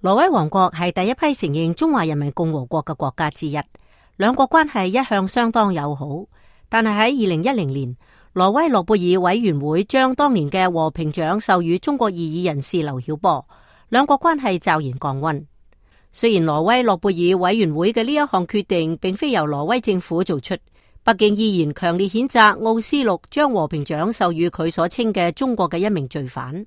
挪威王國係第一批承認中華人民共和國嘅國家之一，兩國關係一向相當友好。但係喺2010年，挪威諾貝爾委員會將當年嘅和平獎授予中國異議人士劉曉波，兩國關係驟然降溫。雖然挪威諾貝爾委員會嘅呢一項決定並非由挪威政府做出，北京依然強烈譴責奧斯陸將和平獎授予佢所稱嘅中國嘅一名罪犯，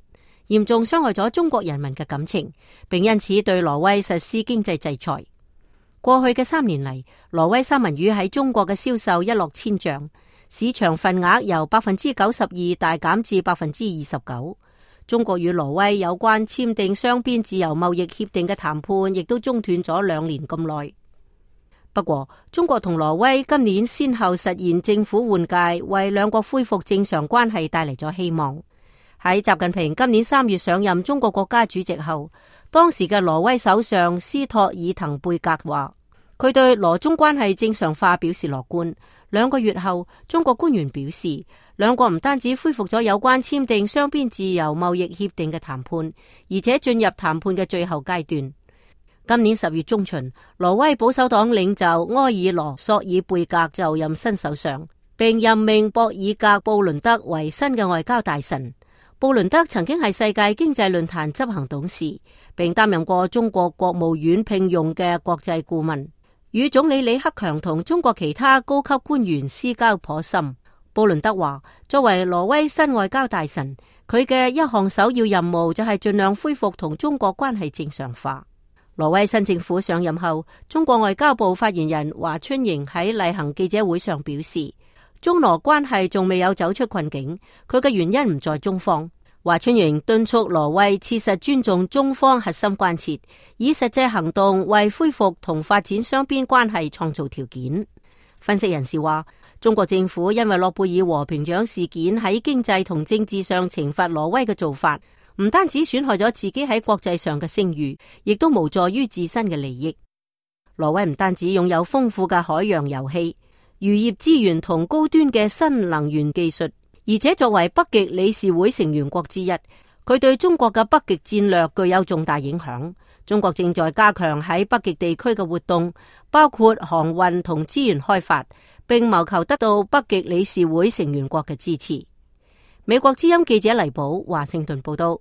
嚴重傷害咗中國人民嘅感情，並因此對挪威實施經濟制裁。過去嘅3年嚟，挪威三文魚喺中國嘅銷售一落千丈，市場份額由92%大減至29%。中國與挪威有關簽訂雙邊自由貿易協定嘅談判亦都中斷咗2年咁耐。不過，中國同挪威今年先後實現政府換屆，為兩國恢復正常關係帶嚟咗希望。喺習近平今年3月上任中國國家主席後，當時嘅挪威首相斯托爾滕貝格話，佢對挪中關係正常化表示樂觀。2個月後，中國官員表示，兩國唔單止恢復咗有關簽訂雙邊自由貿易協定嘅談判，而且進入談判嘅最後階段。今年10月中旬，挪威保守黨領袖埃爾羅索爾貝格就任新首相，並任命博爾格布倫德為新嘅外交大臣。布倫德曾經係世界經濟論壇執行董事，並擔任過中國國務院聘用嘅國際顧問，與總理李克強同中國其他高級官員私交頗深。布倫德話，作為挪威新外交大臣，佢嘅一項首要任務就係盡量恢復同中國關係正常化。挪威新政府上任後，中國外交部發言人華春瑩喺例行記者會上表示，中挪關係仲未有走出困境，佢嘅原因唔在中方。華春瑩敦促挪威切實尊重中方核心關切，以實際行動為恢復同發展雙邊關係創造條件。分析人士話，中國政府因為諾貝爾和平獎事件喺經濟同政治上懲罰挪威嘅做法，唔單止損害咗自己喺國際上嘅聲譽，亦都無助於自身嘅利益。挪威唔單止擁有豐富嘅海洋油氣、漁業資源同高端嘅新能源技術，而且作為北極理事會成員國之一，佢對中國嘅北極戰略具有重大影響。中國正在加強喺北極地區嘅活動，包括航運同資源開發，並謀求得到北極理事會成員國嘅支持。美國之音記者黎寶華盛頓報道。